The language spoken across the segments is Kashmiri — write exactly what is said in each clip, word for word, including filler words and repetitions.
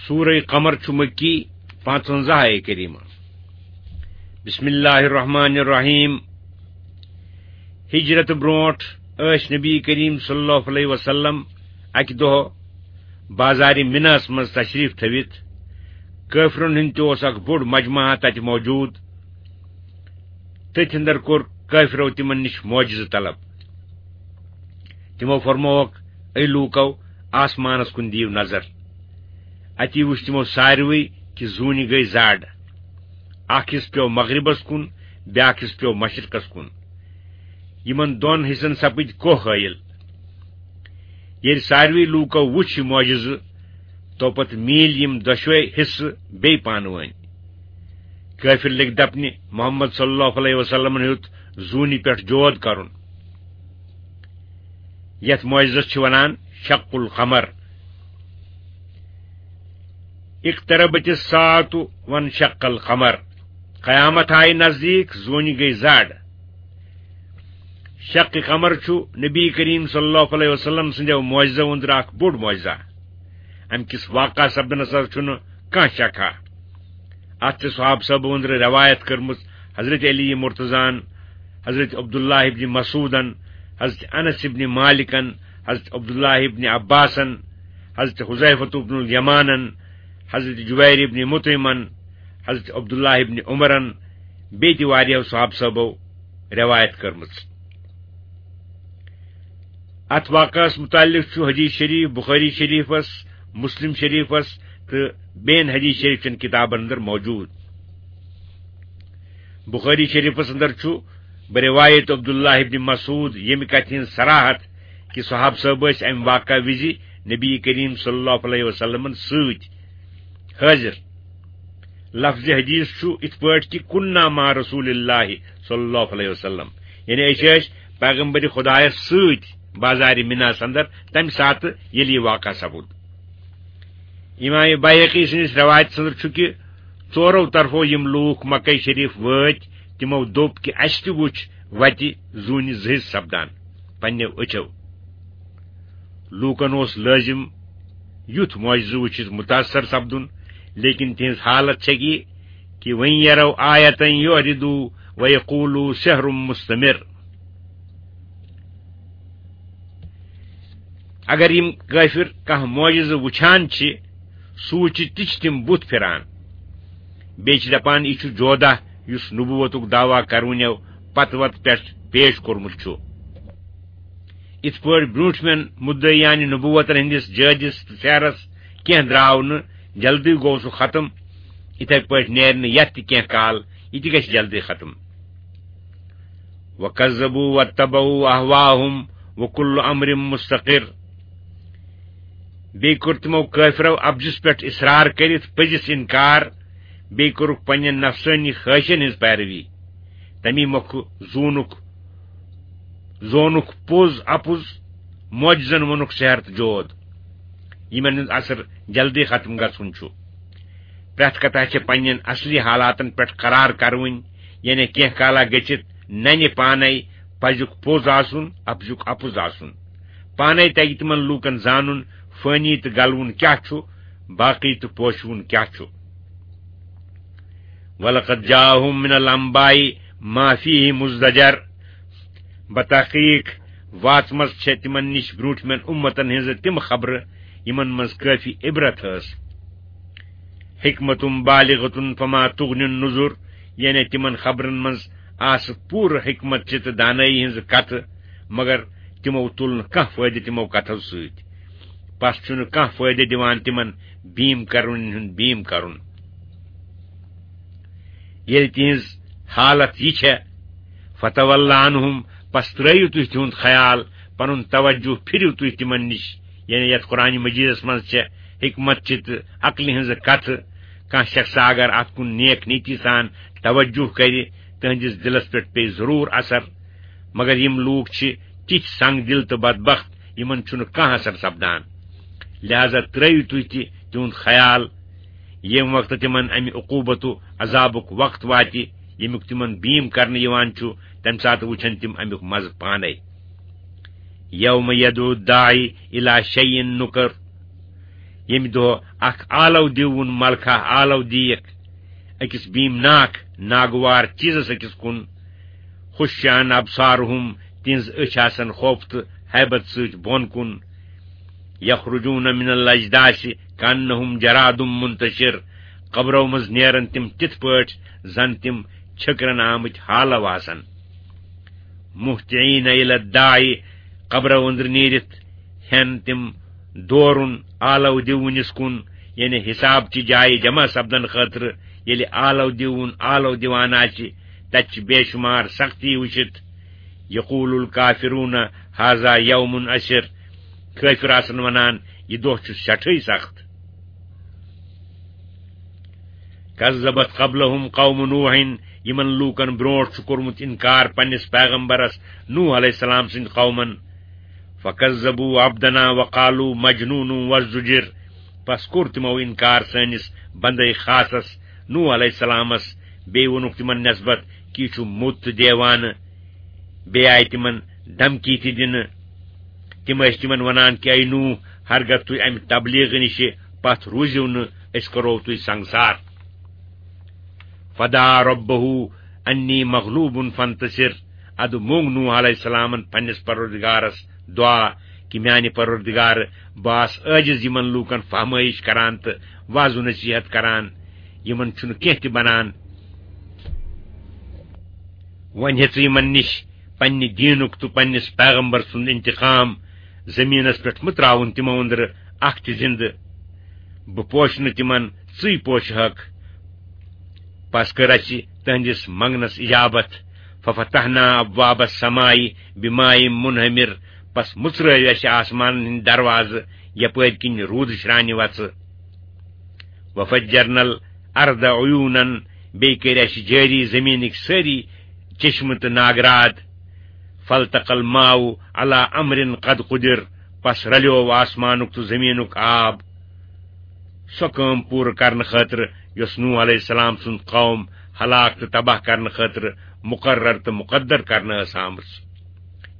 سورہ قمر چھُ مکی، پانٛژوَنٛزاہ آیہِ کریمہ۔ بسم اللہ الرحمن الرحیم۔ ہجرت برونٹھ ٲسۍ نبی کریم صلی اللہ علیہ وسلم اکہِ دۄہ بازارِ مناہس منٛز تشریف تھٲوِتھ۔ کٲفرن ہُنٛد تہِ اوس اکھ بوٚڑ مجمع تتہِ موجود۔ تٔتھۍ اندر کوٚر کٲفرو تِمن نِش معجزٕ طلب۔ تِمو فرمووکھ، اے لوٗکو، آسمانس کُن دِیِو نظر۔ اتی وُچھ تِمو ساروٕے کہِ زوٗنہِ گٔے زڈ۔ اکھ حصہٕ پیوٚو مغربس کُن، بیاکھ حصہٕ پیوٚو مشرقس کُن۔ یِمن دۄن حصن سپٕدۍ کوہ حٲیِل۔ ییٚلہِ ساروٕے لوٗکو وُچھ یہِ معجزٕ، تو پتہٕ میٖلۍ یِم دۄشوے حصہٕ بیٚیہِ پانہٕ وٲنۍ۔ کٲفر لٔگۍ دپنہِ، محمد صلی اللہ علیہ وسلمن ہیوٚت زوٗنہِ پٮ۪ٹھ جود کرُن۔ یتھ معجزس چھِ ونان شق القمر۔ اقتربت الساعة وانشق القمر۔ قیامت آیہِ نزدیٖک، زوٗنہِ گٔے زڈ۔ شق قمر چھُ نبی کریم صلی اللہ علیہ وسلم سٕنٛدیو معجزو أنٛدرٕ اکھ بوٚڑ معجزہ۔ امہِ کِس واقعہ سپدنس حظ چھُنہٕ کانٛہہ شکھا۔ اتھ چھِ صحابہٕ صٲبو أنٛدرٕ روایت کٔرمٕژ حضرت علی مرتضیٰ ہن، حضرت عبداللہ ابن مسعودن، حضرت انس ابن مالکن، حضرت عبداللہ ابن عباسن، حضرت حذیفۃ ابن الیمانن، حضرت جبیر ابن مطعمن، حضرت عبداللہ ابن عمرن، بیٚیہِ تہِ واریاہو صحابہٕ صٲبو روایت کٔرمٕژ۔ اتھ واقعس متعلق چھُ حدیث شریف بخاری شریفس، مسلم شریفس تہٕ بیٚین حدیث شریف چٮ۪ن کتابن اندر موجود۔ بخاری شریفس اندر چھُ بروایت عبداللہ ابن مسعود ییٚمہِ کتھِ ہٕنٛز صراحت کہِ صحابہٕ صٲب ٲسۍ امہِ واقعہ وِزِ نبی کریم صلی اللہ علیہ وسلمن سۭتۍ حٲضِر۔ لفظ حدیث چھُ اِتھ پٲٹھۍ کہِ "کُنّا مع رسول اللہ صلی اللہ علیہ وسلم"، یعنی أسۍ ٲسۍ پیغمبر خدایس سۭتۍ بازارِ مناہس اندر تمہِ ساتہٕ ییٚلہِ یہِ واقعہ سپُد۔ امام بیہقی سٕنٛدِس رٮ۪وایتس اندر چھُ کہِ ژورو طرفو یِم لوٗکھ مکہ شریف وٲتۍ، تِمو دوٚپ کہِ اسہِ تہِ وُچھ وتہِ زوٗنہِ زٕ حصہٕ سپدان پننیو أچھو۔ لوٗکن اوس لٲزِم یُتھ معجزٕ وُچھِتھ متاثر سپدُن، لیکن تِہنٛز حالت چھےٚ یہِ کہِ "وَإِن يَرَوْا آيَةً يُعْرِضُوا وَيَقُولُوا سِحْرٌ مُسْتَمِرٌّ"۔ اگر یِم کٲفر کانٛہہ معجزٕ وُچھان چھِ، سُہ وُچھِتھ تہِ چھِ تِم بُتھ پھِران۔ بیٚیہِ چھِ دپان، یہِ چھُ جودہ یُس نبوتُک دعویٰ کرونیو پتہٕ وتہٕ پٮ۪ٹھ پیش کوٚرمُت چھُ۔ یِتھ پٲٹھۍ برٛونٛٹھمٮ۪ن مدعیانِ نبوتن ہٕنٛدِس جٲدِس تہٕ سحرس کینٛہہ درٛاو نہٕ، جلدی گوٚو سُہ ختم، یِتھے پٲٹھۍ نیرِ نہٕ یتھ تہِ کینٛہہ کال، یہِ تہِ گژھِ جلدی ختم۔ "وَكَذَّبُوا وَاتَّبَعُوا أَهْوَاءَهُمْ وَكُلُّ أَمْرٍ مُسْتَقِرٌّ"۔ بیٚیہِ کوٚر تِمو کٲفرو اپزِس پٮ۪ٹھ اصرار کٔرِتھ پٔزِس انکار، بیٚیہِ کوٚرُکھ پننٮ۪ن نفسٲنی خٲہشن ہٕنٛز پیروی۔ تمی مۄکھٕ زونُکھ، زونُکھ پوٚز اپُز، معجزن ووٚنُکھ سحر تہٕ جود، یِمن ہُنٛد اثر جلدی ختم گژھُن چھُ۔ پرٛٮ۪تھ کتھا چھےٚ پننٮ۪ن اصلی حالاتن پٮ۪ٹھ قرار کرٕوٕنۍ، یعنی کینٛہہ کالا گٔژھِتھ ننہِ پانے پزیُک پوٚز آسُن، اپزیُک اپُز آسُن۔ پانے تگہِ تِمن لوٗکن زانُن فٲنی تہٕ گلوُن کیاہ چھُ، باقی تہٕ پوشوُن کیاہ چھُ۔ "وَلَقَدْ جَاءَهُم مِّنَ الْأَنبَاءِ مَا فِيهِ مُزْدَجَرٌ"۔ بتحقیق واتمژ چھےٚ تِمن نِش برٛونٛٹھمٮ۪ن اُمتن ہٕنٛزٕ تِم خبرٕ، یِمن منٛز کٲفی عبرت ٲس۔ "حِكْمَةٌ بَالِغَةٌ فَمَا تُغْنِ النُّذُرُ"، یعنی تِمن خبرن منٛز آسہٕ پوٗرٕ حکمت چہِ تہٕ دانٲیی ہٕنٛزٕ کتھٕ، مگر تِمو تُل نہٕ کانٛہہ فٲیدٕ تِمو کتھو سۭتۍ۔ پس چھُنہٕ کانٛہہ فٲیدٕ دِوان تِمن بیٖم کرنہٕ ہُنٛد بیٖم کرُن۔ ییٚلہِ تِہنٛز حالت یہِ چھےٚ، "فَتَوَلَّ عَنْهُمْ"، پس ترٲیِو تُہۍ تِہُنٛد خیال، پنُن توجہ پھِرِو تُہۍ تِمن نِش، یعنی یتھ قرآن مجیدس منٛز چھےٚ حکمت چہِ تہٕ عقلہِ ہٕنٛزٕ کتھٕ۔ کانٛہہ شخصا اگر اتھ کُن نیک نیتی سان توجہ کرِ، تہنٛدِس دِلس پٮ۪ٹھ پیٚیہِ ضروٗر اثر۔ مگر یِم لوٗکھ چھِ تِتھۍ سنگ دِل تہٕ بدبخت، یِمن چھُنہٕ کانٛہہ اثر سپدان۔ لہذا ترٲیِو تُہۍ تہِ تِہُنٛد خیال، ییٚمہِ وقتہٕ تِمن امہِ عقوبت و عذابُک وقت واتہِ، ییٚمیُک تِمن بیٖم کرنہٕ یِوان چھُ، تمہِ ساتہٕ وٕچھن تِم امیُک مزٕ پانے۔ "يَوْمَ يَدْعُ الدَّاعِي إِلَى شَيْءٍ نُكْرٍ"۔ ییٚمہِ دۄہ اکھ آلو دیوُن ملکہ آلو دیکھ أکِس بیٖمناک ناگوار چیٖزس أکِس کُن، خشعاً ابصارهم، تِہنٛز أچھ آسن خوف تہٕ ہیبت سۭتۍ بۄن کُن۔ یخرجون من الاجداث کانہم جراد منتشر، قبرو منٛز نیرن تِم تِتھ پٲٹھۍ زن تِم چھٔکرن آمٕتۍ ہالو آسن۔ مہطعین الی الداعی، قبرو أنٛدرٕ نیٖرِتھ ہٮ۪ن تِم دورُن آلو دِوُنِس کُن، یعنی حساب چہِ جایہِ جمع سپدن خٲطرٕ۔ ییٚلہِ آلو دِوُن آلو دِوان آسہِ، تتہِ چھِ بے شمار سختی وٕچھِتھ۔ یقول الکافرون هذا یوم عسر، کٲفِر آسن ونان، یہِ دۄہ چھُ سٮ۪ٹھٕے سخت۔ کذبت قبلهم قوم نوح، یِمن لوٗکن برونٛٹھ چھُ کوٚرمُت انکار پننِس پیغمبرس نوح علیہ السلام سٕنٛدِ قومن۔ فکذبوا عبدنا وقالوا مجنون وازدجر، پس کوٚر تِمو انکار سٲنِس بندے خاصس نوح علیہ السلامس، بیٚیہِ ووٚنُکھ تِمن نسبت کہِ یہِ چھُ موٚت تہٕ دیوانہٕ۔ بیٚیہِ آیہِ تِمن دھمکی تہِ دِنہٕ۔ تِم ٲسۍ تِمن ونان کہِ، اے نوح، ہرگاہ تُہۍ امہِ تبلیغ نِشہِ پتھ روٗزِو نہٕ، أسۍ کرو تُہۍ سنگسار۔ فدعا ربه انی مغلوب فانتصر، ادٕ مونگ نوح علیہ السلامن پننِس پروردگارس دعا کہِ، میانہِ پروردگار، بہٕ آس عٲجز یِمن لوٗکن فہمٲیش کران تہٕ وعظ و نصیحت کران، یِمن چھُنہٕ کینٛہہ تہِ بنان۔ وۄنۍ ہیٚژٕ یِمن نِش پننہِ دیٖنُک تہٕ پننِس پیغمبر سُنٛد انتقام، زٔمیٖنس پٮ۪ٹھ مہٕ ترٛاوُن تِمو أنٛدرٕ اکھ تہِ زِندٕ۔ بہٕ پوشہٕ نہٕ تِمن، ژٕے پوشہٕ ہکھ۔ پس کٔر اسہِ تہنٛدِس منگنس اجابت۔ ففتحنا ابواب السماء بماء منہمر، پس مُژرٲوۍ اسہِ آسمانن ہٕنٛدۍ دروازٕ، یپٲرۍ کِنۍ روٗدٕ شرانہِ وژھٕ۔ وفجرنا الارض عیونا، بیٚیہِ کٔرۍ اسہِ جٲری زٔمیٖنٕکۍ سٲری چشمہٕ تہٕ ناگراد۔ فالتقى الماء على امر قد قدر، پس رلیوو آسمانُک تہٕ زٔمیٖنُک آب سۄ کٲم پوٗرٕ کرنہٕ خٲطرٕ یۄس نوح علیہ السلام سُنٛد قوم ہلاک تہٕ تباہ کرنہٕ خٲطرٕ مقرر تہٕ مقدر کرنہٕ ٲس آمٕژ۔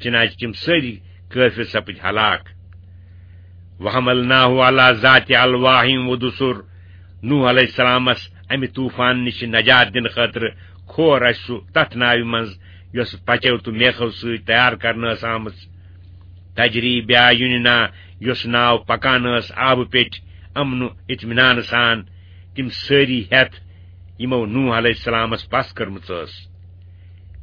چنانچہ تِم سٲری کٲفر سپٕدۍ ہلاک۔ وحملناه على ذات الواح ودسر، نوح علیہ السلامس امہِ طوفان نِش نجات دِنہٕ خٲطرٕ کھور اسہِ سُہ تتھ ناوِ منٛز یۄس پچو تہٕ میخو سۭتۍ تیار کرنہٕ ٲس آمٕژ۔ تجری باعیننا، یۄس ناو پکان ٲس آبہٕ پیٚٹھۍ امن و اطمینان سان، تِم سٲری ہٮ۪تھ یِمو نوح علیہ السلامس پس کٔرمٕژ ٲس۔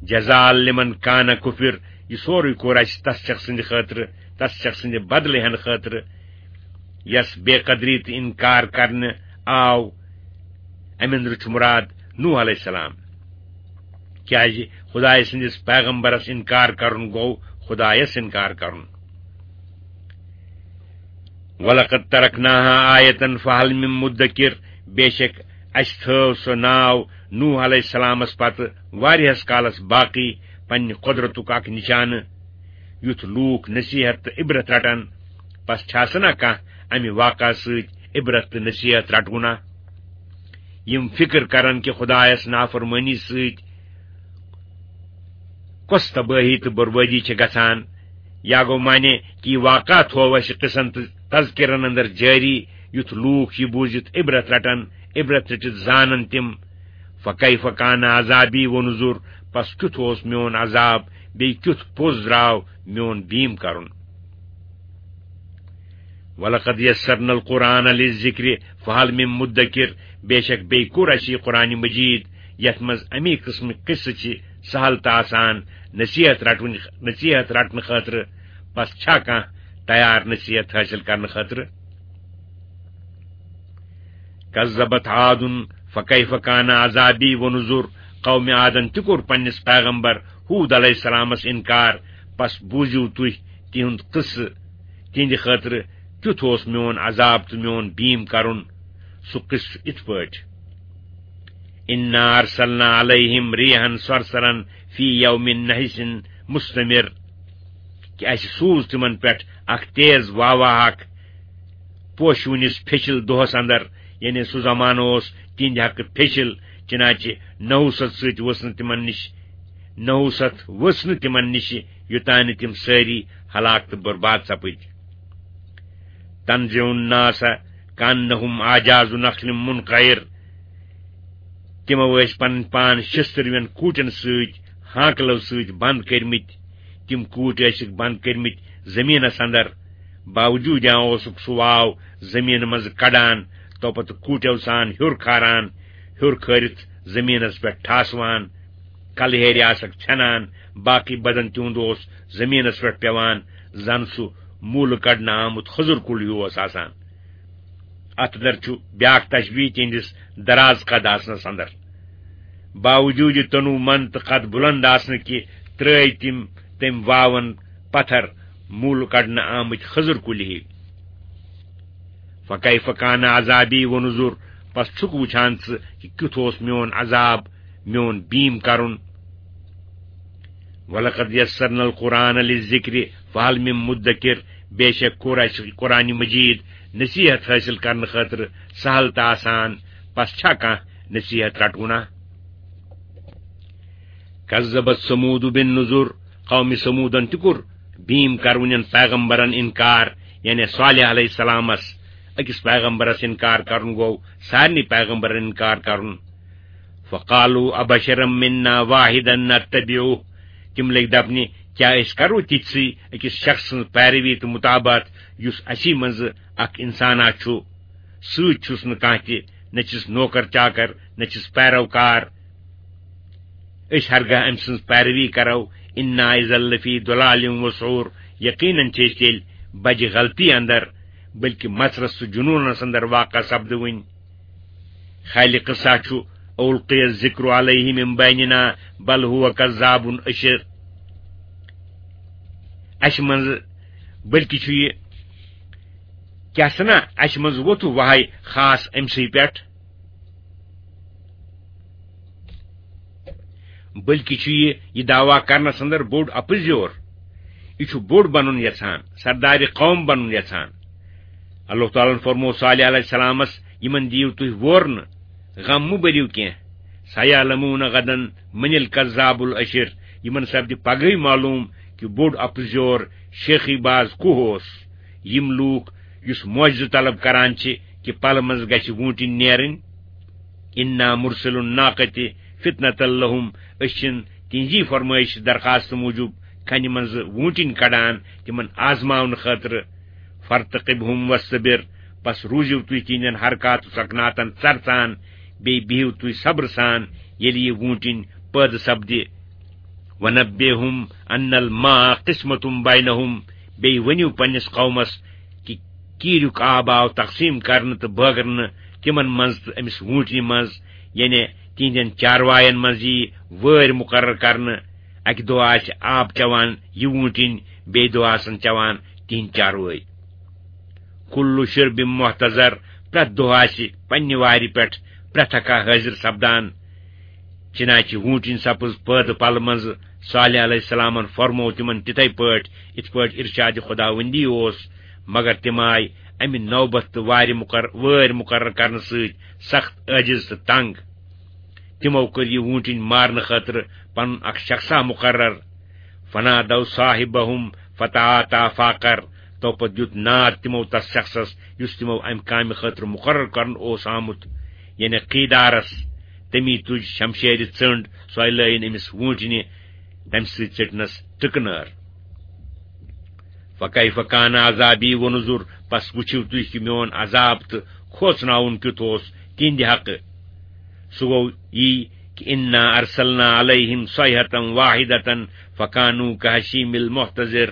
جزاء لمن کان کفر، یہِ سورُے کوٚر اسہِ تس شخص سٕنٛدِ خٲطرٕ، تس شخص سٕنٛدِ بدلہٕ ہٮ۪نہٕ خٲطرٕ، یس بے قدری تہٕ انکار کرنہٕ آو۔ امہِ اندرٕ چھُ مراد نوح علیہ السلام، کیازِ خدایہِ سٕنٛدِس پیغمبرس انکار کرُن گوٚو خدایس انکار کرُن۔ ولقد ترکناها آیة فهل من مدکر، بے شک اسہِ تھٲو سۄ ناو نوح علیہ السلامس پتہٕ واریاہس کالس باقی پننہِ قدرتُک اکھ نشانہٕ، یُتھ لوٗکھ نصیحت تہٕ عبرت رٹن۔ پس چھا سنا کانٛہہ امہِ واقعہ سۭتۍ عبرت تہٕ نصیحت رٹونا؟ یِم فکر کرن کہِ خدایس نافرمٲنی سۭتۍ کۄس تبٲہی تہٕ بربٲدی چھِ گژھان۔ یا گوٚو معنی کہِ یہِ واقعہ تھوو اسہِ قصن تہٕ تذکرن اندر جٲری، یُتھ لوٗکھ یہِ بوٗزِتھ عبرت رٹن، عبرت رٔٹِتھ زانن تِم۔ فکیف کان عذابی و نذر، پس کیُتھ اوس میون عذاب، بیٚیہِ کیُتھ پوٚز درٛاو میون بیٖم کرُن۔ ولقد یسرنا القرآن للذکر فهل من مدکر، بے شک بیٚیہِ کوٚر اَسہِ یہِ قرآن مجید، یَتھ منٛز اَمی قٕسمٕکۍ قصہٕ چھِ سہل تہٕ آسان نصیحت رٹوٕنۍ، نصیحت رٹنہٕ خٲطرٕ۔ پس چھا کانٛہہ تیار نصیحت حٲصِل کرنہٕ خٲطرٕ؟ کذبت عاد فکیف کان عذابی و نذر، قوم عادن تہِ کوٚر پننِس پیغمبر ہود علیہ السلامس انکار۔ پس بوٗزِو تُہۍ تِہُنٛد قصہٕ، تِہنٛدِ خٲطرٕ کیُتھ اوس میون عذاب تہٕ میون بیٖم کرُن۔ سُہ قصہٕ چھُ اِتھ پٲٹھۍ، انا ارسلنا علیہم ریحا صرصرا فی یوم نحس مستمر، کہِ اَسہِ سوٗز تِمن پٮ۪ٹھ اکھ تیز واوا اکھ پوشوٕنِس پھیٚچِل دۄہس اندر، یعنی سُہ زمانہٕ اوس تِہنٛدِ حقہٕ پھیٚچِل، چنانچہ نحوست سۭتۍ ؤژھ نہٕ تِمن نِش، نحوست ؤژھ نہٕ تِمن نِش، یوٚتانۍ نہٕ تِم سٲری ہلاک تہٕ برباد سپٕدۍ۔ تنزع الناس کأنہم اعجاز نخل منقعر۔ تِمو ٲسۍ پنٕنۍ پان شِستٕروٮ۪ن کوٗٹٮ۪ن سۭتۍ، ہانکلو سۭتۍ بنٛد کٔرمٕتۍ۔ تِم کوٗٹۍ ٲسِکھ بنٛد کٔرمٕتۍ زٔمیٖنس اندر۔ باوجوٗدیاں اوسُکھ سُہ واو زٔمیٖنہٕ منٛزٕ کڑان، توپتہٕ کوٗٹٮ۪و سان ہیوٚر کھاران، ہیوٚر کھٲرِتھ زٔمیٖنس پٮ۪ٹھ ٹھاسوان۔ کلہٕ ہیرِ آسکھ ژھٮ۪نان، باقٕے بدن تِہُنٛد اوس زٔمیٖنس پٮ۪ٹھ پٮ۪وان، زن سُہ موٗلہٕ کڑنہٕ آمُت خٔزٕر کُل ہیوٗ اوس آسان۔ اتھ اندر چھُ بیاکھ تشبیہ تِہنٛدِس دراز قد آسنس اندر۔ باوجوٗد تنوع مند تہٕ قد بلند آسنہٕ کہِ ترٲوۍ تِم تٔمۍ واون پتھر موٗلہٕ کڑنہٕ آمٕتۍ خٔزٕر کُلۍ ہی۔ فکیف کان عذابی و نذر، پس چھُکھ وُچھان ژٕ کہِ کیُتھ اوس میون عذاب، میون بیٖم کرُن۔ ولقد یسرنا القرآن للذکر فہل من مدکر، بے شک کوٚر اسہِ قرآن مجید نصیحت حٲصِل کرنہٕ خٲطرٕ سہل تہٕ آسان، پس چھا کانٛہہ نصیحت رٹونا؟ کذبت ثمود بالنذر، قوم ثمودن تہِ کوٚر بیٖم کرونٮ۪ن پیغمبرن انکار، یعنی صالح علیہ السلامس۔ أکِس پیغمبرس انکار کرُن گوٚو سارنٕے پیغمبرن انکار کرُن۔ فقالوا ابشرا منا واحدا نتبعه، تِم لٔگۍ دپنہِ، کیٛاہ أسۍ کرو تِتھسٕے أکِس شخص سٕنٛز پیروی تہٕ مطابعت یُس اسی منٛزٕ اکھ انسانا چھُ؟ سۭتۍ چھُس نہٕ کانٛہہ تہِ، نہ چھِس نوکر چاکر، نہ چھِس پیروکار۔ أسۍ ہرگاہ أمۍ سٕنٛز پیروی کرو، انا اذا لفی ضلال و سعور، یقیناً چھِ أسۍ تیٚلہِ بجہِ غلطی اندر، بلکہ مژرس تہٕ جنونس اندر واقع سپدوٕنۍ۔ خالق قصہ چھُ، القی الذکر علیہ من بیننا بل هو کذاب اشر۔ اسہِ منٛز، بلکہ چھُ یہِ، کیٛاہ سنا، اسہِ منٛز ووٚتھُ وہے خاص أمۍ سٕے پٮ۪ٹھ۔ بلکہ چھُ یہِ، یہِ دعویٰ کرنس اندر بوٚڑ اپزیور۔ یہِ چھُ بوٚڑ بنُن یژھان، سردارِ قوم بنُن یژھان۔ اللہ تعالیٰ ہن فرموو صالح علیہ السلامس، یِمن دِیِو تُہۍ وورنہٕ، غم مہٕ بٔرِو کینٛہہ۔ سیعلمون غدا من الکذاب الاشر، یِمن سپدِ پگہٕے معلوم کہِ بوٚڑ اپزیور شیخی باز کُہ اوس۔ یِم لوٗکھ یُس معجزٕ طلب کران چھِ کہِ پلہٕ منٛز گژھِ ووٗنٛٹِنۍ نیرٕنۍ۔ انا مرسل الناقۃ فتنۃ لہم، أسۍ چھِن تِہنٛزی فرمٲیش درخواست موٗجوٗب کنہِ منٛزٕ ووٗنٛٹِنۍ کڑان تِمن آزماونہٕ خٲطرٕ۔ فارتقبہم واصطبر، پس روٗزِو تُہۍ تِہنٛدٮ۪ن حرکات و سکناتن ژرژان، بیٚیہِ بِہِو تُہۍ صبرٕ سان، ییٚلہِ یہِ ووٗنٛٹِنۍ پٲدٕ سپدِ۔ ونبئہم ان الماء قسمۃ بینہم، بیٚیہِ ؤنِو پننِس قومس کہِ کیٖریُک آب آو تقسیٖم کرنہٕ تہٕ بٲگرنہٕ تِمن منٛز تہٕ أمِس ووٗنٛٹنہِ منٛز، یعنی تِہنٛدٮ۪ن چارواین منٛز یی وٲرۍ مُقرر کرنہٕ۔ اکہِ دۄہ آسہِ آب چٮ۪وان یہِ ووٗنٛٹِنۍ، بیٚیہِ دۄہ آسن چٮ۪وان تِہنٛدۍ چاروٲے۔ کل شرب محتضر، پرٛٮ۪تھ دۄہ آسہِ پننہِ وارِ پٮ۪ٹھ پرٛٮ۪تھ اکھا حٲضِر سپدان۔ چنانچہ ووٗنٛٹِنۍ سپٕز پٲدٕ پلہٕ منٛزٕ۔ صالح علیہ السلامن فرموو تِمن تِتھے پٲٹھۍ، یِتھ پٲٹھۍ ارشاد خداوندی اوس، مگر تِم آیہِ امہِ نوبت تہٕ وارِ مقر-، وٲرۍ مُقرر کرنہٕ سۭتۍ سخت عٲجز تہٕ تنگ۔ تِمو کٔر یہِ ووٗنٛٹِنۍ مارنہٕ خٲطرٕ پنُن اکھ شخصا مُقرر۔ فنادوا صاحبهم فتعاطى فعقر، تو پتہٕ دیُت ناد تِمو تس شخصس یُس تِمو امہِ کامہِ خٲطرٕ مُقرر کرنہٕ اوس آمُت، یعنی قیدارس۔ تٔمی تُج شمشیرِ ژٔنٛڈ، سۄے لٲیِن أمِس ووٗنٛٹنہِ، تمہِ سۭتۍ ژٔٹنس ٹٕکہٕ نٲر۔ فکیف کان عذابی و نذر، پس وٕچھِو تُہۍ کہِ میون عذاب تہٕ کھوژناوُن کیُتھ اوس تِہنٛدِ حقہٕ۔ سُہ گوٚو یی کہِ انا ارسلنا علیہم صیحة واحدة فکانوا کہشیم المحتضر۔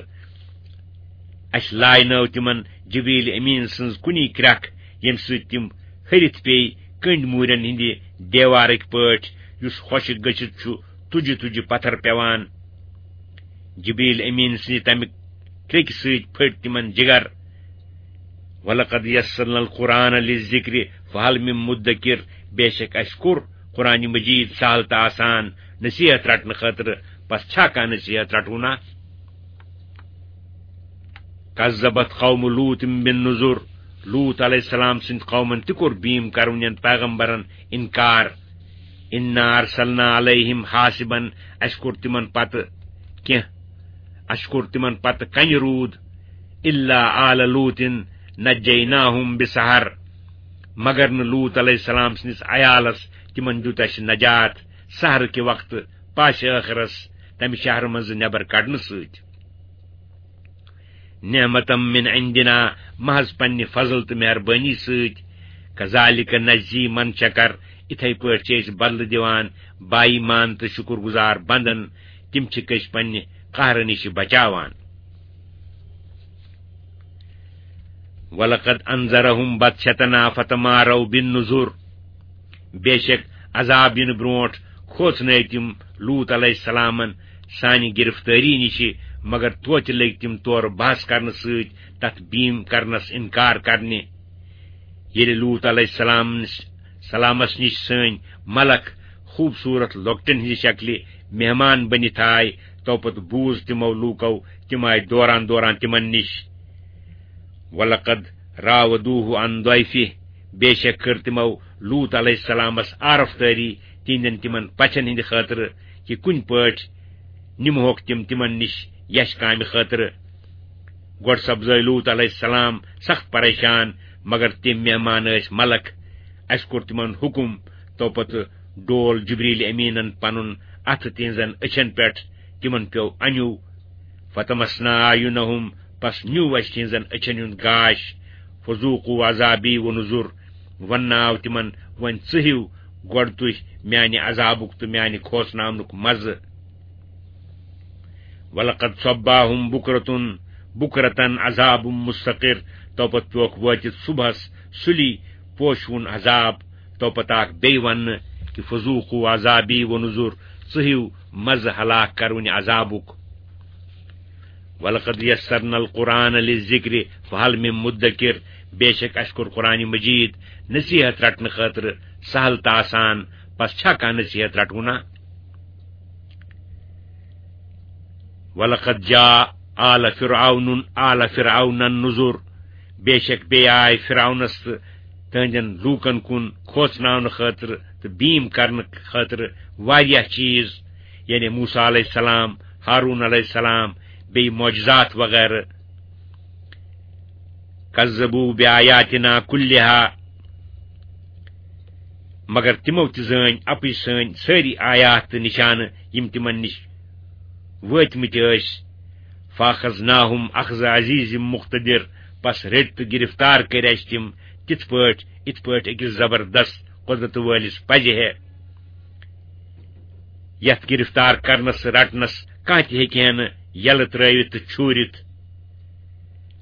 اسہِ لاینٲو تِمن جبریل امین سٕنٛز کُنی کرٛکھ، ییٚمہِ سۭتۍ تِم ۂرِتھ پیٚیہِ کٔنٛڈۍ موٗرٮ۪ن ہٕنٛدِ دیوارٕکۍ پٲٹھۍ، یُس خۄشٕک گٔژھِتھ چھُ تُجہِ تُجہِ پتھر پٮ۪وان۔ جبریل امین سٕنٛدِ تمہِ کرٛیٚکہِ سۭتۍ پھٔٹۍ تِمن جگر۔ ولقد یسرنا القرآن للذکر فہل من مدکر، بے شک اسہِ کوٚر قرآن مجید سہل تہٕ آسان نصیحت رٹنہٕ خٲطرٕ، پس چھا کانٛہہ نصیحت رٹونا؟ کذبت قوم لوط بالنذر، لوط علیہ السلام سٕنٛدِ قومن تہِ کوٚر بیٖم کرونٮ۪ن پیغمبرن انکار۔ انا ارسلنا علیہم حاصبا، اسہِ کوٚر تِمن پتہٕ کینٛہہ، اسہِ کوٚر تِمن پتہٕ کنہِ روٗد۔ الا آل لوط نجیناہم بسحر، مگر نہٕ لوط علیہ السلام سٕنٛدِس عیالس، تِمن دیُت اَسہِ نجات سحرٕ کہِ وقتہٕ پاسہِ ٲخرس تمہِ شہرٕ منٛزٕ نٮ۪بر کڑنہٕ سۭتۍ۔ نعمتم من عندنا، محض پننہِ فضل تہٕ مہربٲنی سۭتۍ۔ کذالک نجزی من شکر، اِتھے پٲٹھۍ چھِ أسۍ بدلہٕ دِوان با ایمان تہٕ شُکر گُزار بندن، تِم چھِکھ أسۍ پننہِ قہرٕ نِش بچاوان۔ ولقد انذرهم بطشتنا فتماروا بالنذر، بے شک عذاب یِنہٕ برونٹھ کھوژنٲوۍ تِم لوط علیہ السلامن سانہِ گرفتٲری نِش، مگر توتہِ لٔگۍ تِم تورٕ بحث کرنہٕ سۭتۍ تتھ بیم کرنس انکار کرنہِ۔ ییٚلہِ لوط علیہ السلام سلامس نِش سٲنۍ ملک خوٗبصوٗرت لۄکٹٮ۪ن ہٕنٛزِ شکلہِ مہمان بٔنِتھ آے، توپتہٕ بوٗز تِمو لوٗکو تِم آے دوران دوران تِمن نِش۔ ولقد راودوه عن ضيفه، بے شک کٔر تِمو لوط علیہ السلامس عارف تٲری تِہنٛدٮ۪ن تِمن پژھن ہٕنٛدِ خٲطرٕ، کہِ کُنہِ پٲٹھۍ نِمہوکھ تِم تِمن نِش یش کامہِ خٲطرٕ۔ گۄڈٕ سپزٲے لوط علیہ السلام سخت پریشان، مگر تِم مہمان ٲسۍ ملک۔ اسہِ کوٚر تِمن حُکم، توپتہٕ ڈول جبریل امیٖنن پنُن اتھٕ تِہنٛزن أچھن پٮ۪ٹھ، تِمن پیوٚو انیُو۔ فتمسنا اعینہم، پس نیوٗ اسہِ تِہنٛزن أچھن ہُنٛد گاش۔ فذوقوا عذابی و نذر، وننہٕ آو تِمن، وۄنۍ ژٕہِو گۄڈٕ تُہۍ میانہِ عذابُک تہٕ میانہِ کھوژناونُک مزٕ۔ ولقد صباهم بكرة، بكرة عذاب مستقر، توپتہٕ پیوکھ وٲتِتھ صبحس سُلی پوشوُن عذاب، توپتہٕ آکھ بیٚیہِ وننہٕ کہِ فذوقوا عذابی و نذر، ژٕہِو مزٕ ہلاک کرونہِ عذابُک۔ ولقد يسرنا القرآن للذكر فهل من مدكر، بے شک اسہِ کوٚر قرآن مجید نصیحت رٹنہٕ خٲطرٕ سہل تہٕ آسان، پس چھا کانٛہہ نصیحت رٹوُنا؟ ولقد جاء آل فرعون، آل فرعون النذر، بے شک بیٚیہِ آے فرعونس تہٕ تہنٛدٮ۪ن لوٗکن کُن کھوژناونہٕ خٲطرٕ تہٕ بیٖم کرنہٕ خٲطرٕ واریاہ چیٖز، یعنی موسیٰ علیہ السلام، ہارون علیہ السلام، بیٚیہِ معجزات وغیرہ۔ کذبوا بآیاتنا کلہا، مگر تِمو تہِ زٲنۍ اپٕز سٲنۍ سٲری آیات تہٕ نشانہٕ، یِم تِمن نِش وٲتمٕتۍ ٲسۍ۔ فاخذناہم اخذ عزیز مقتدر، پس رٔٹۍ تہٕ گرفتار کٔرۍ اسہِ تِم تِتھ پٲٹھۍ، یِتھ پٲٹھۍ أکِس زبردست قدرت وٲلِس پزِ ہے۔ یتھ گرفتار کرنس رٹنس کانٛہہ تہِ ہیٚکہِ ہے نہٕ یلہٕ ترٲوِتھ تہٕ چھوٗرِتھ۔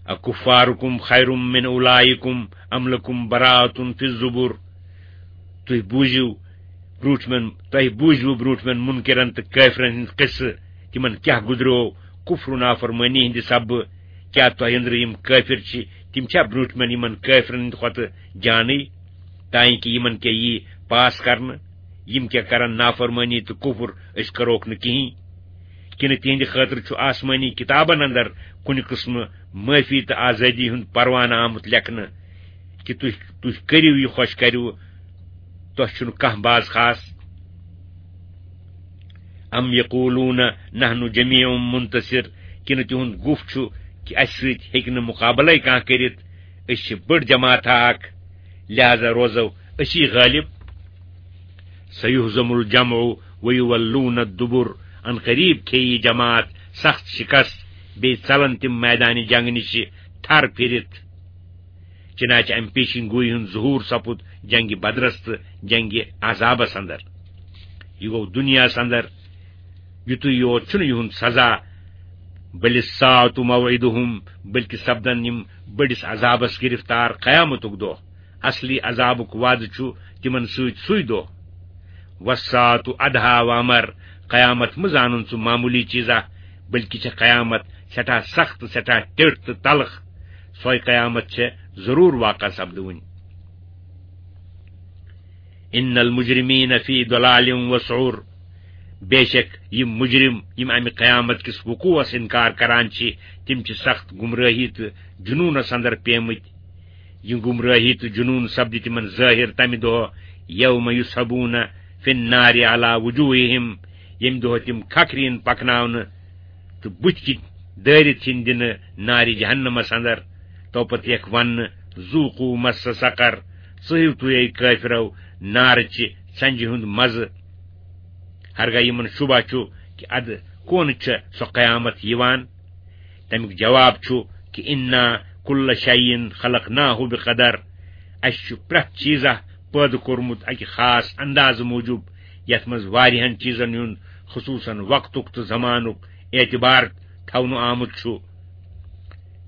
اکفارکم خیر من اولئکم ام لکم براءۃ فی الزبر۔ تُہۍ بوٗزِو برٛونٛٹھمٮ۪ن، تۄہہِ بوٗزِوٕ برٛونٛٹھمٮ۪ن مُنکِرن تہٕ کٲفرن ہٕنٛدۍ قصہٕ، تِمن کیٛاہ گُزریو کُفر و نافرمٲنی ہٕنٛدِ سببہٕ۔ کیٛاہ تۄہہِ أنٛدرٕ یِم کٲفر چھِ، تِم چھا برٛونٛٹھمٮ۪ن یِمن کٲفرن ہٕنٛدِ کھۄتہٕ جانٕے؟ تانۍ کہِ یِمن کیٛاہ یی پاس کرنہٕ؟ یِم کیٛاہ کرن نافرمٲنی تہٕ کُفر، أسۍ کروکھ نہٕ کِہیٖنۍ؟ کِنہٕ تِہنٛدِ خٲطرٕ چھُ آسمٲنی کِتابن اندر کُنہِ قٕسمہٕ معٲفی تہٕ آزٲدی ہُنٛد پروانہٕ آمُت لیکھنہٕ کہِ تُہۍ، تُہۍ کٔرِو یہِ خۄش کٔرِو، تۄہہِ چھُنہٕ کانٛہہ باز خاص؟ ام یقولون نحن جمیع منتصر، کِنہٕ تِہُنٛد گُف چھُ کہِ اَسہِ سۭتۍ ہیٚکہِ نہٕ مُقابلَے کانٛہہ کٔرِتھ، أسۍ چھِ بٔڑ جماعت اکھ، لہذا روزو أسی غٲلب؟ سیہزم الجمع ویولون الدبر، ان قریب کھیٚیہِ یہِ جماعت سخت شکست، بیٚیہِ ژلن تِم میدانِ جنگ نِش تھر پھِرِتھ۔ چنانچہ امہِ پیشن گویی ہُنٛد ظہور سپُد جنگِ بدرس تہٕ جنگِ احزابس اندر۔ یہِ گوٚو دُنیاہس اندر، یُتُے یوت چھُنہٕ یِہُنٛد سزا، بل الساعة موعدهم، بلکہِ سپدن یِم بٔڑِس عذابس گرفتار قیامتُک دۄہ۔ اصلی عذابُک وعدٕ چھُ تِمن سۭتۍ سُے دۄہ۔ والساعة ادہا وامر، قیامت مہٕ زانُن ژٕ معموٗلی چیٖزا، بلکہِ چھےٚ قیامت سٮ۪ٹھاہ سخت، سٮ۪ٹھاہ ٹیٔٹھ تہٕ تلخ۔ سۄے قیامت چھےٚ ضروٗر واقع سپدوٕنۍ۔ ان المجرمین فی ضلال و سعر، بے شک یِم مجرم، یِم امہِ قیامت کِس وقوعس انکار کران چھِ، تِم چھِ سخت گمراہی تہٕ جنوٗنس اندر پیمٕتۍ۔ یہِ گمراہی تہٕ جنوٗن سپدِ تِمن ظٲہِر تمہِ دۄہ، یوم یسحبون فی النار علی وجوہہم، ییٚمہِ دۄہ تِم کھکھرِ یِن پکناونہٕ تہٕ بُتھِ کِنۍ دٲرِتھ یِن دِنہٕ نارِ جہنمس اندر۔ توپتہٕ یِکھ وننہٕ، ذوقوا مس سقر، ژٕہِو تُہۍ، اے کٲفرو، نارٕچہِ ژنجہِ ہُنٛد مزٕ۔ ہرگاہ یِمن شُبہ چھُ کہِ ادٕ کون چھےٚ سۄ قیامت یِوان؟ تمیُک جواب چھُ کہِ انا کل شیء خلقناہ بقدر، اسہِ چھُ پرٛٮ۪تھ چیٖزہ پٲدٕ کوٚرمُت اکہِ خاص اندازٕ موٗجوٗب، یتھ منٛز واریاہن چیٖزن ہُنٛد، خصوصاً وقتُک تہٕ زمانُک، اعتبار تھاونہٕ آمُت چھُ،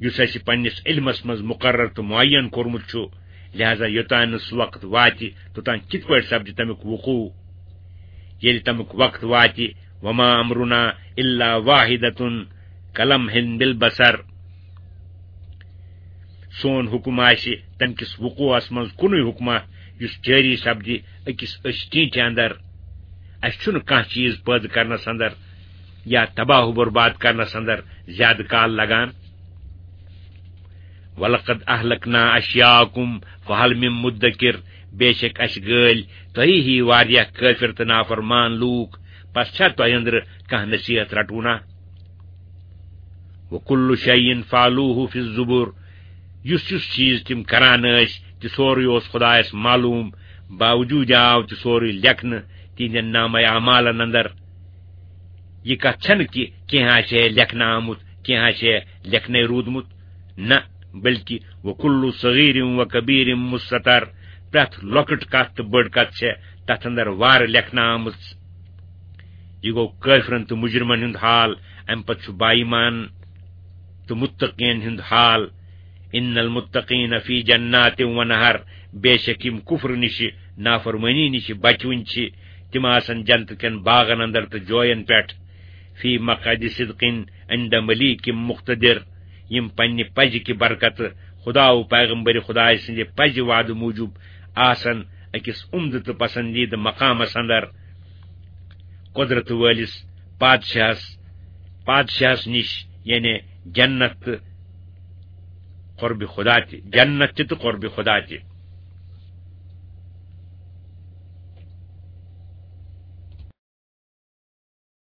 یُس اسہِ پننِس علمس منٛز مقرر تہٕ معین کوٚرمُت چھُ۔ لہذا یوٚتام نہٕ سُہ وقت واتہِ، توٚتام کِتھ پٲٹھۍ سپدِ تمیُک وقوع؟ ییٚلہِ تمیُک وقت واتہِ، وما امرنا الا واحدۃ کلمح بالبصر۔ سون حکم آسہِ تمہِ کِس وقوعس منٛز کُنُے حکمہ، یُس جٲری سپدِ أکِس أچھ ٹینٹہِ اندر۔ اسہِ چھُنہٕ کانٛہہ چیٖز پٲدٕ کرنس اندر یا تباہ و برباد کرنس اندر زیادٕ کال لگان۔ ولقد اہلکنا اشیاءکم فہل من مدکر، بے شک اسہِ گٲلۍ تۄہی ہی واریاہ کٲفر تہٕ نافرمان لوٗکھ، پس چھا تۄہہِ أنٛدرٕ کانٛہہ نصیحت رٹونا؟ وکل شیء فعلوہ فی الزبر، یُس یُس چیٖز تِم کران ٲسۍ، تہِ سورُے اوس خدایس معلوم، باوجوٗد آو تہِ سورُے لیکھنہٕ تِہنٛدٮ۪ن نامہ اعمالن اندر۔ یہِ کتھ چھنہٕ کہِ کینٛہہ آسہِ ہے لیکھنہٕ آمُت، کینٛہہ آسہِ ہے لیکھنے روٗدمُت، نہ، بلکہ وکل صغیر و کبیر مستتر، پرٛٮ۪تھ لۄکٕٹ کتھ تہٕ بٔڑ کتھ چھےٚ تتھ اندر وارٕ لیکھنہٕ آمٕژ۔ یہِ گوٚو کٲفرن تہٕ مجرمن ہُنٛد حال، امہِ پتہٕ چھُ بایمان تہٕ متقین ہُنٛد حال۔ ان المتقین فی جنات و نہر، بے شک یِم کفر نِشہِ، نافرمٲنی نِشہِ بچوٕنۍ چھِ، تِم آسن جنت کٮ۪ن باغن اندر تہٕ جوین پٮ۪ٹھ۔ فی مقعد صدق عند ملیک مقتدر، یِم پننہِ پزِ کہِ برکتہٕ خدا و پیغمبر خدایہِ سٕنٛدِ پزِ وعدٕ موٗجوٗب آسن أکِس عمدٕ تہٕ پسندیدٕ مقامس اندر، قدرت وٲلِس پادشاہس، پادشاہس نِش، یعنی جنت تہٕ قربِ خدا تہِ، جنت تہِ تہٕ قربِ خدا تہِ۔